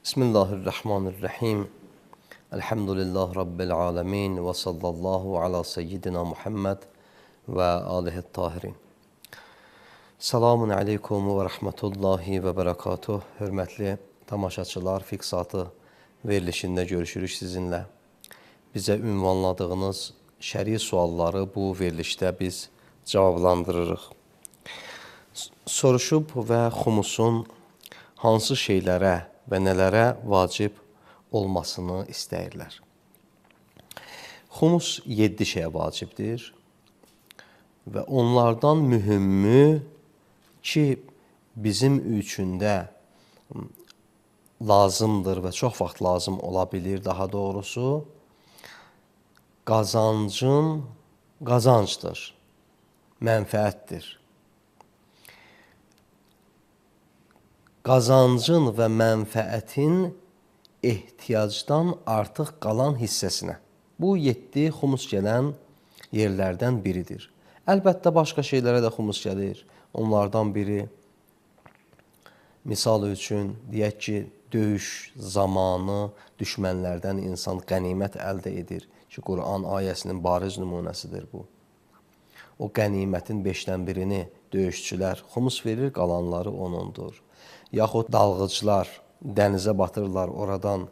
Bismillahirrahmanirrahim. Elhamdülillah Rabbil alemin ve sallallahu ala seyyidina Muhammed ve alihi tahirin. Selamun aleykum ve rahmetullahi ve berekatuh. Hürmetli tamaşaçılar, Fiqh Saatı verilişində görüşürük sizinlə. Bizə ünvanladığınız şəri sualları bu verilişdə biz cavablandırırıq. Soruşub və xumusun hansı şeylərə və nələrə vacib olmasını istəyirlər. Xumus 7 şeyə vacibdir və onlardan mühümü ki, bizim üçün də lazımdır və çox vaxt lazım ola bilir, daha doğrusu, qazancdır, mənfəətdir. Qazancın və mənfəətin ehtiyacdan artıq qalan hissəsinə. Bu 7 xumus gələn yerlərdən biridir. Əlbəttə, başqa şeylərə də xumus gəlir. Onlardan biri, misal üçün, deyək ki, döyüş zamanı düşmənlərdən insan qənimət əldə edir ki, Quran ayəsinin bariz nümunəsidir bu. O qənimətin 5-dən birini döyüşçülər xumus verir, qalanları onundur. Yaxud dalğıcılar dənizə batırırlar, oradan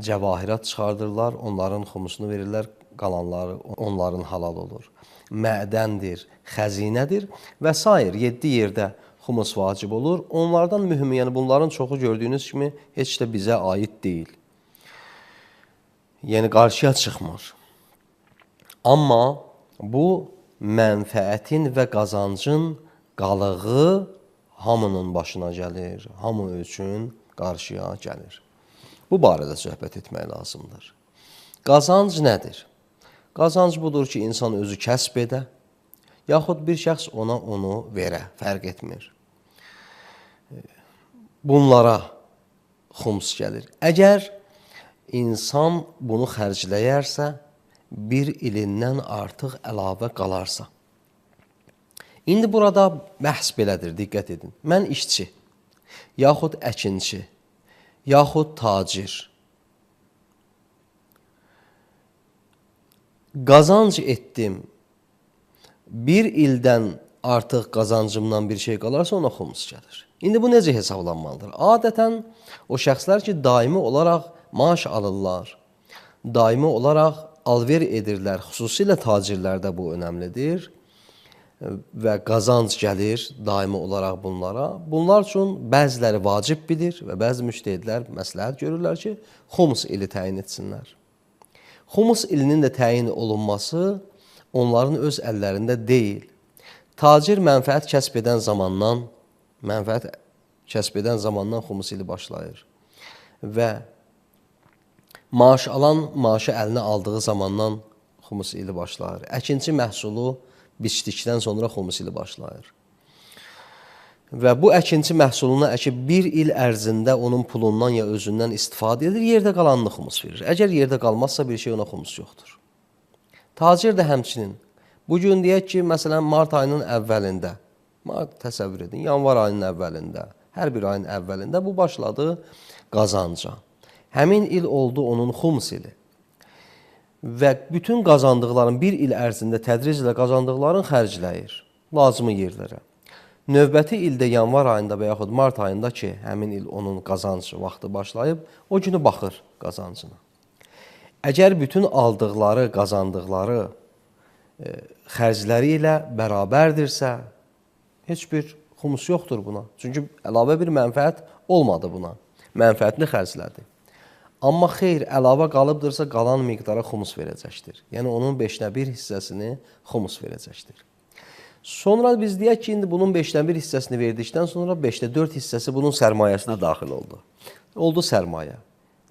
cəvahirat çıxardırlar, onların xumusunu verirlər, qalanları onların halal olur. Mədəndir, xəzinədir və s. 7 yerdə xumus vacib olur. Onlardan mühümü, yəni bunların çoxu gördüyünüz kimi heç də bizə aid deyil. Yəni qarşıya çıxmır. Amma bu mənfəətin və qazancın qalığı hamının başına gəlir, hamı üçün qarşıya gəlir. Bu barədə söhbət etmək lazımdır. Qazanc nədir? Qazanc budur ki, insan özü kəsb edə, yaxud bir şəxs onu verə, fərq etmir. Bunlara xums gəlir. Əgər insan bunu xərcləyərsə, bir ilindən artıq əlavə qalarsa. İndi burada bəhs belədir, diqqət edin. Mən işçi, yaxud əkinçi, yaxud tacir. Qazanc etdim, bir ildən artıq qazancımdan bir şey qalarsa ona xumus gəlir. İndi bu necə hesablanmalıdır? Adətən o şəxslər ki, daimi olaraq maaş alırlar, daimi olaraq alver edirlər, xüsusilə tacirlərdə bu önəmlidir və qazanc gəlir daimi olaraq bunlara. Bunlar üçün bəziləri vacib bilir və bəzi müştəhidlər məsləhət görürlər ki, xumus ili təyin etsinlər. Xumus ilinin də təyin olunması onların öz əllərində deyil. Tacir mənfəət kəsb edən zamandan xumus ili başlayır və maaş alan maaşı əlinə aldığı zamandan xumus ili başlayır. Əkinçi məhsulu biçdikdən sonra xumus ili başlayır. Və bu əkinçi məhsulunu əkib bir il ərzində onun pulundan ya özündən istifadə edir, yerdə qalanını xumus verir. Əgər yerdə qalmazsa bir şey ona xumus yoxdur. Tacir də həmçinin. Bugün deyək ki, məsələn, mart ayının əvvəlində, təsəvvür edin, yanvar ayının əvvəlində, hər bir ayın əvvəlində bu başladı qazanca. Həmin il oldu onun xumus ili. Və bütün qazandıqların bir il ərzində tədriclə qazandıqların xərcləyir lazımı yerlərə. Növbəti ildə yanvar ayında və yaxud mart ayında ki, həmin il onun qazancı vaxtı başlayıb, o günü baxır qazancına. Əgər bütün aldıqları, qazandıqları xərcləri ilə bərabərdirsə, heç bir xumus yoxdur buna. Çünki əlavə bir mənfəət olmadı buna. Mənfəətini xərclədi. Amma xeyr, əlavə qalıbdırsa, qalan miqdara xumus verəcəkdir. Yəni, onun 1/5 hissəsini xumus verəcəkdir. Sonra biz deyək ki, indi bunun 1/5 hissəsini verdikdən sonra 5/4 hissəsi bunun sərmayəsinə daxil oldu. Oldu sərmayə.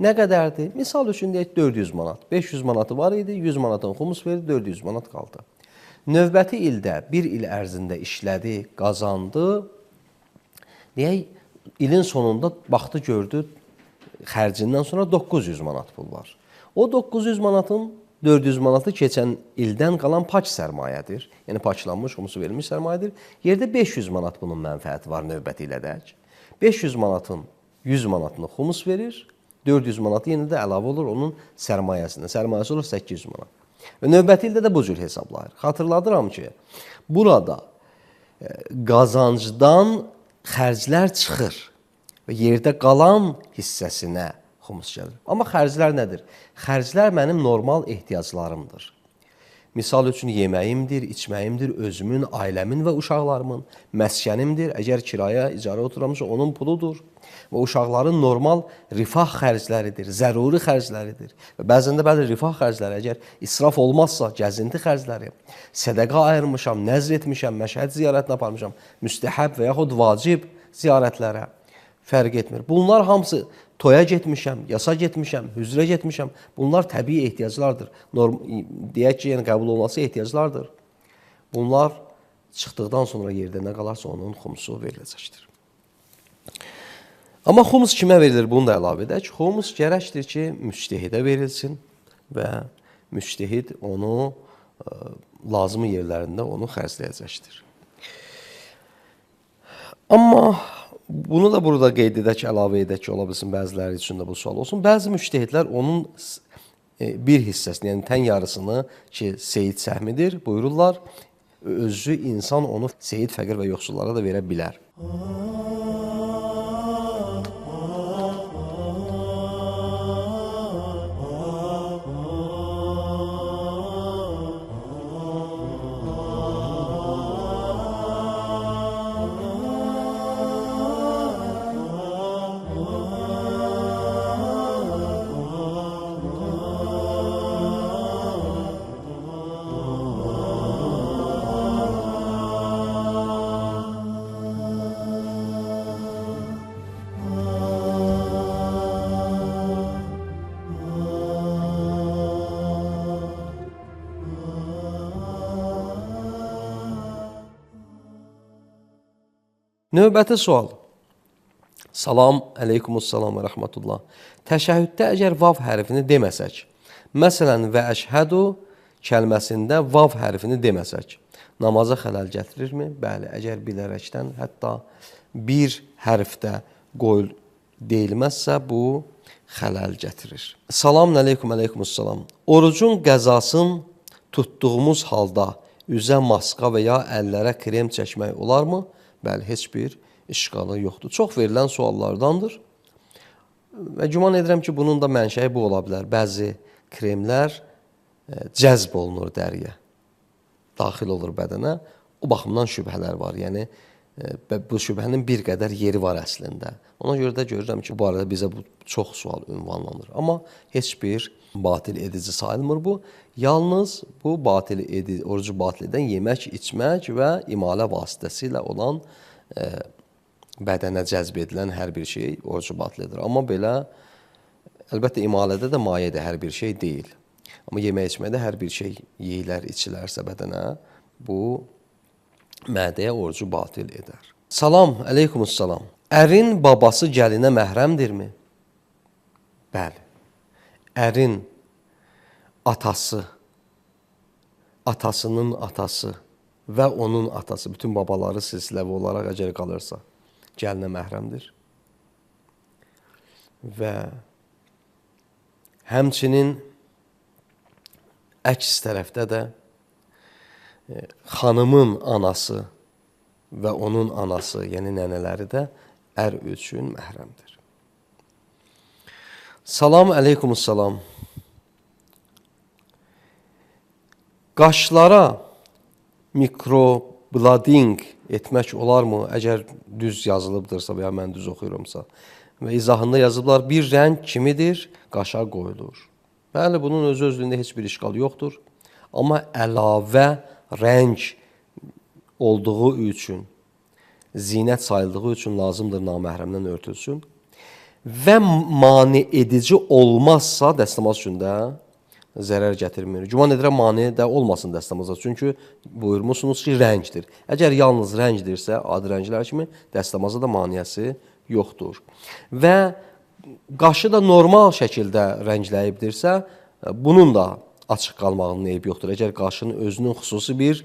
Nə qədərdir? Misal üçün deyək 400 manat. 500 manatı var idi, 100 manatın xumus verdi, 400 manat qaldı. Növbəti ildə, bir il ərzində işlədi, qazandı. Deyək, ilin sonunda baxdı, gördü, xərcindən sonra 900 manat pul var. O 900 manatın 400 manatı keçən ildən qalan pak sərmayədir. Yəni, paklanmış, xumusu verilmiş sərmayədir. Yerdə 500 manat bunun mənfəəti var növbəti ilədək. 500 manatın 100 manatını xumus verir, 400 manatı yenə də əlavə olur onun sərmayəsinə. Sərmayəsi olur 800 manat. Və növbəti ildə də bu cür hesablayır. Xatırladıram ki, burada qazancdan xərclər çıxır və yerdə qalan hissəsinə xumus gəlir. Amma xərclər nədir? Xərclər mənim normal ehtiyaclarımdır. Misal üçün yeməyimdir, içməyimdir, özümün, ailəmin və uşaqlarımın, məskənimdir. Əgər kiraya, icarə oturamsa onun puludur. Və uşaqların normal rifah xərcləridir, zəruri xərcləridir. Və bəzən də bəli rifah xərcləri, əgər israf olmazsa, gəzinti xərcləri, sədəqa ayırmışam, nəzr etmişəm, məşhəd ziyarətinə aparmışam, müstəhəb və yaxud vacib ziyarətlərə fərq etmir. Bunlar hamısı toya getmişəm, yasa getmişəm, hüzrə getmişəm. Bunlar təbii ehtiyaclardır. Deyək ki, yəni qəbul olması ehtiyaclardır. Bunlar çıxdıqdan sonra yerdə nə qalarsa onun xumusu veriləcəkdir. Amma xumus kimə verilir? Bunu da əlavə edək. Xumus gərəkdir ki, müctehidə verilsin və müctehid onu lazımi yerlərində onu xərcləyəcəkdir. Amma bunu da burada qeyd edək, əlavə edək ki, ola bilsin bəziləri üçün də bu sual olsun. Bəzi müctehidlər onun bir hissəsini, yəni tən yarısını ki, seyid səhmidir, buyururlar, özü insan onu seyid, fəqir və yoxsullara da verə bilər. Növbəti sual. Salam, əleykumussalam və rəhmətullah. Təşəhhüddə əgər vav hərfini deməsək, məsələn, və əşhədu kəlməsində vav hərfini deməsək, namaza xələl gətirirmi? Bəli, əgər bilərəkdən hətta bir hərfdə deyilməzsə, bu xələl gətirir. Salam, əleykumussalam. Orucun qəzasını tutduğumuz halda üzə maska və ya əllərə krem çəkmək olarmı? Bəli, heç bir işqalı yoxdur. Çox verilən suallardandır. Və güman edirəm ki, bunun da mənşəyi bu ola bilər. Bəzi kremlər cəzb olunur dəriyə, daxil olur bədənə. O baxımdan şübhələr var. Yəni, bu şübhənin bir qədər yeri var əslində. Ona görə də görürəm ki, bu barədə bizə bu çox sual ünvanlanır. Amma heç bir batil edici sayılmır bu. Yalnız bu orucu batil edən yemək, içmək və imalə vasitəsilə olan bədənə cəzb edilən hər bir şey orucu batil edir. Amma belə, əlbəttə imalədə də mayedir, hər bir şey deyil. Amma yemək içməkdə hər bir şey yeyilər, içilərsə bədənə, bu mədəyə orucu batil edər. Salam, əleykumussalam. Ərin babası gəlinə məhrəmdirmi? Bəli. Ərin atası, atasının atası və onun atası, bütün babaları silsiləvi olaraq əgər qalırsa, gəlinə məhrəmdir. Və həmçinin əks tərəfdə də xanımın anası və onun anası, yəni nənələri də ər üçün məhrəmdir. Salam, əleykumussalam. Qaşlara mikroblading etmək olarmı? Əgər düz yazılıbdırsa və ya mən düz oxuyurumsa. Və izahında yazıblar, bir rəng kimidir, qaşa qoyulur. Bəli, bunun özü-özlüyündə heç bir işqal yoxdur. Amma əlavə rəng olduğu üçün, zinət sayıldığı üçün lazımdır naməhrəmdən örtülsün. Və mane edici olmazsa dəstəmaz üçün də zərər gətirmir. Güman edirəm mane də olmasın dəstəmazda. Çünki buyurmuşsunuz ki, rəngdir. Əgər yalnız rəngdirsə, adi rənglər kimi dəstəmazda da maniyəsi yoxdur. Və qaşı da normal şəkildə rəngləyibdirsə, bunun da açıq qalmağının eybi yoxdur. Əgər qaşının özünün xüsusi bir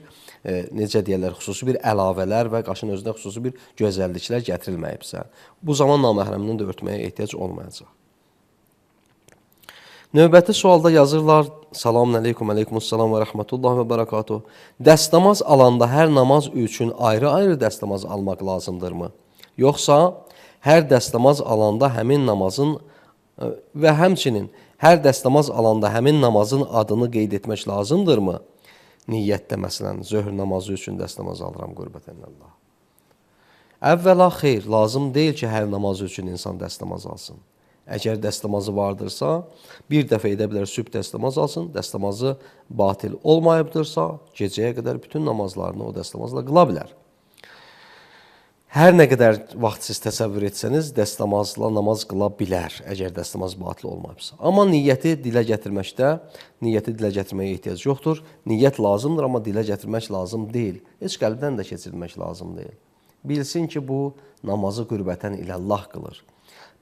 necə deyirlər, xüsusi bir əlavələr və qaşın özünə xüsusi bir gözəlliklər gətirilməyibsə, bu zaman naməhrəmdən də örtməyə ehtiyac olmayacaq. Növbəti sualda yazırlar, Salamun aleykum, aleykumussalam və rəhmətullah və bərəkatuh. Dəstəmaz alanda hər namaz üçün ayrı-ayrı dəstəmaz almaq lazımdırmı? Yoxsa hər dəstəmaz alanda həmin namazın və həmçinin hər dəstəmaz alanda həmin namazın adını qeyd etmək lazımdırmı? Niyyətdə, məsələn, zöhr namazı üçün dəstəmaz alıram, qürbətən Allah. Əvvəla xeyr, lazım deyil ki, hər namaz üçün insan dəstəmaz alsın. Əgər dəstəmazı vardırsa, bir dəfə edə bilər sübh dəstəmaz alsın, dəstəmazı batil olmayıbdırsa, gecəyə qədər bütün namazlarını o dəstəmazla qıla bilər. Hər nə qədər vaxt siz təsəvvür etsəniz, dəstəmazla namaz qıla bilər, əgər dəstəmaz batil olmayıbsa. Amma niyyəti dilə gətirməyə ehtiyac yoxdur. Niyyət lazımdır, amma dilə gətirmək lazım deyil. Heç qəlbdən də keçirilmək lazım deyil. Bilsin ki, bu namazı qürbətən iləllah qılır.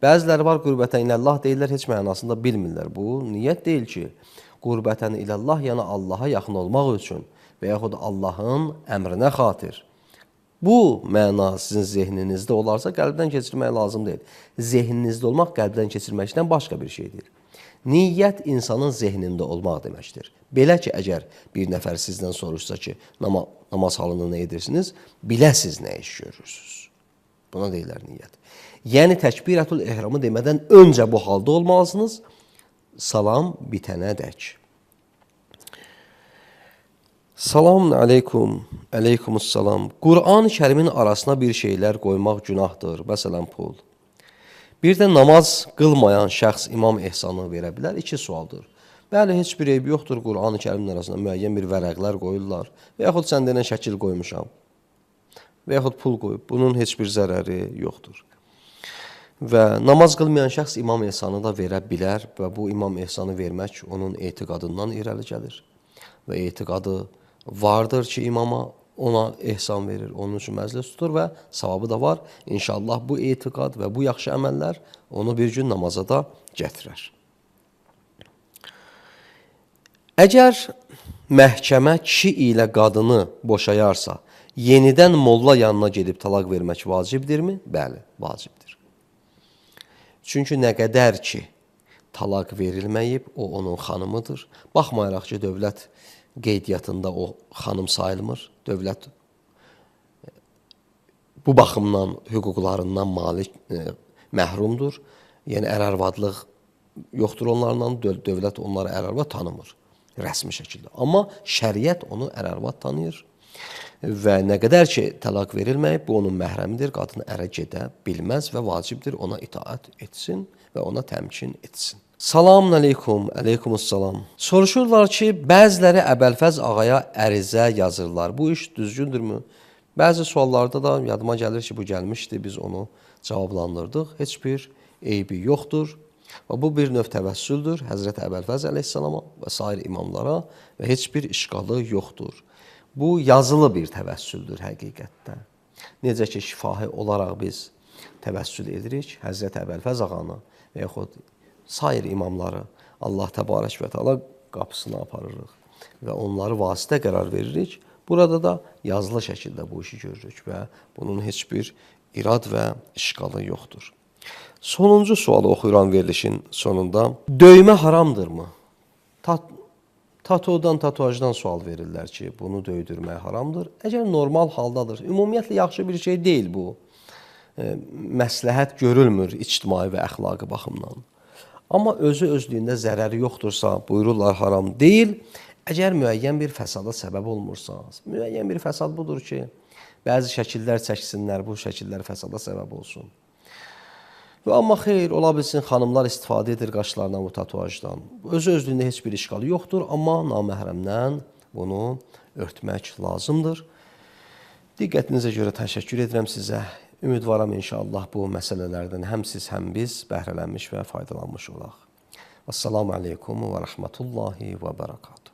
Bəziləri var, qürbətən iləllah deyirlər, heç mənasında bilmirlər. Bu, niyyət deyil ki, qürbətən iləllah, yəni Allaha yaxın olmaq üçün və yaxud Allahın əmrinə xatir. Bu məna sizin zehninizdə olarsa, qəlbdən keçirmək lazım deyil. Zehninizdə olmaq qəlbdən keçirməkdən başqa bir şeydir. Niyyət insanın zehnində olmaq deməkdir. Belə ki, əgər bir nəfər sizdən soruşsa ki, namaz halında nə edirsiniz, biləsiz nə iş görürsünüz. Buna deyirlər niyyət. Yəni, təkbirətül ehramı demədən öncə bu halda olmalısınız, salam bitənədək. Salamun aleykum, aleykumussalam. Qur'an-ı Kərimin arasına bir şeylər qoymaq günahdır, məsələn, pul. Bir də namaz qılmayan şəxs imam ehsanı verə bilər, 2 sualdır. Bəli, heç bir eybi yoxdur, Qur'an-ı Kərimin arasında müəyyən bir vərəqlər qoyurlar və yaxud sən denən şəkil qoymuşam və yaxud pul qoyub, bunun heç bir zərəri yoxdur. Və namaz qılmayan şəxs imam ehsanı da verə bilər və bu imam ehsanı vermək onun etiqadından irəli gəlir. Və etiqadı vardır ki, imama ona ehsan verir, onun üçün məclis tutur və savabı da var. İnşallah bu etiqad və bu yaxşı əməllər onu bir gün namaza da gətirər. Əgər məhkəmə kişi ilə qadını boşayarsa, yenidən molla yanına gedib talaq vermək vacibdirmi? Bəli, vacibdir. Çünki nə qədər ki, talaq verilməyib, o onun xanımıdır. Baxmayaraq ki, dövlət qeydiyyatında o xanım sayılmır. Dövlət bu baxımdan hüquqlarından məhrumdur. Yəni, ər-arvadlıq yoxdur onlarla, dövlət onları ər-arvad tanımır rəsmi şəkildə. Amma şəriət onu ər-arvad tanıyır və nə qədər ki, talaq verilməyib, bu onun məhrəmidir, qadın ərə gedə bilməz və vacibdir ona itaət etsin və ona təmkin etsin. Salamun aleykum, aleykumussalam. Soruşurlar ki, bəziləri Əbəlfəz ağaya ərizə yazırlar. Bu iş düzgündürmü? Bəzi suallarda da yadıma gəlir ki, bu gəlmişdi, biz onu cavablandırdıq. Heç bir eybi yoxdur. Və bu bir növ təvəssüldür Həzrət Əbəlfəz əleyhissalama və sair imamlara və heç bir işqalı yoxdur. Bu yazılı bir təvəssüldür həqiqətdə. Necə ki, şifahi olaraq biz təvəssül edirik Həzrət Əbəlfəz ağanı və yaxud sair imamları Allah təbarək və təala qapısına aparırıq və onları vasitə qərar veririk. Burada da yazılı şəkildə bu işi görürük və bunun heç bir irad və işqalı yoxdur. Sonuncu sualı oxuyuram verilişin sonunda. Döymə haramdırmı? Tatuadan, tatuajdan sual verirlər ki, bunu döydürmək haramdır. Əgər normal haldadır, ümumiyyətlə yaxşı bir şey deyil bu. Məsləhət görülmür ictimai və əxlaqi baxımdan. Amma özü özlüyündə zərəri yoxdursa, buyururlar haram deyil. Əgər müəyyən bir fəsada səbəb olmursa, müəyyən bir fəsad budur ki, bəzi şəkillər çəksinlər, bu şəkillər fəsada səbəb olsun. Amma xeyr, ola bilsin, xanımlar istifadə edir qaşlarından bu tatuajdan. Özü özlüyündə heç bir işqalı yoxdur, amma naməhrəmdən bunu örtmək lazımdır. Diqqətinizə görə təşəkkür edirəm sizə. Ümidvaram inşallah bu məsələlərdən həm siz, həm biz bəhrələnmiş və faydalanmış olaq. Assalamu aleykum və rəhmətullahi və bərəkatuhu.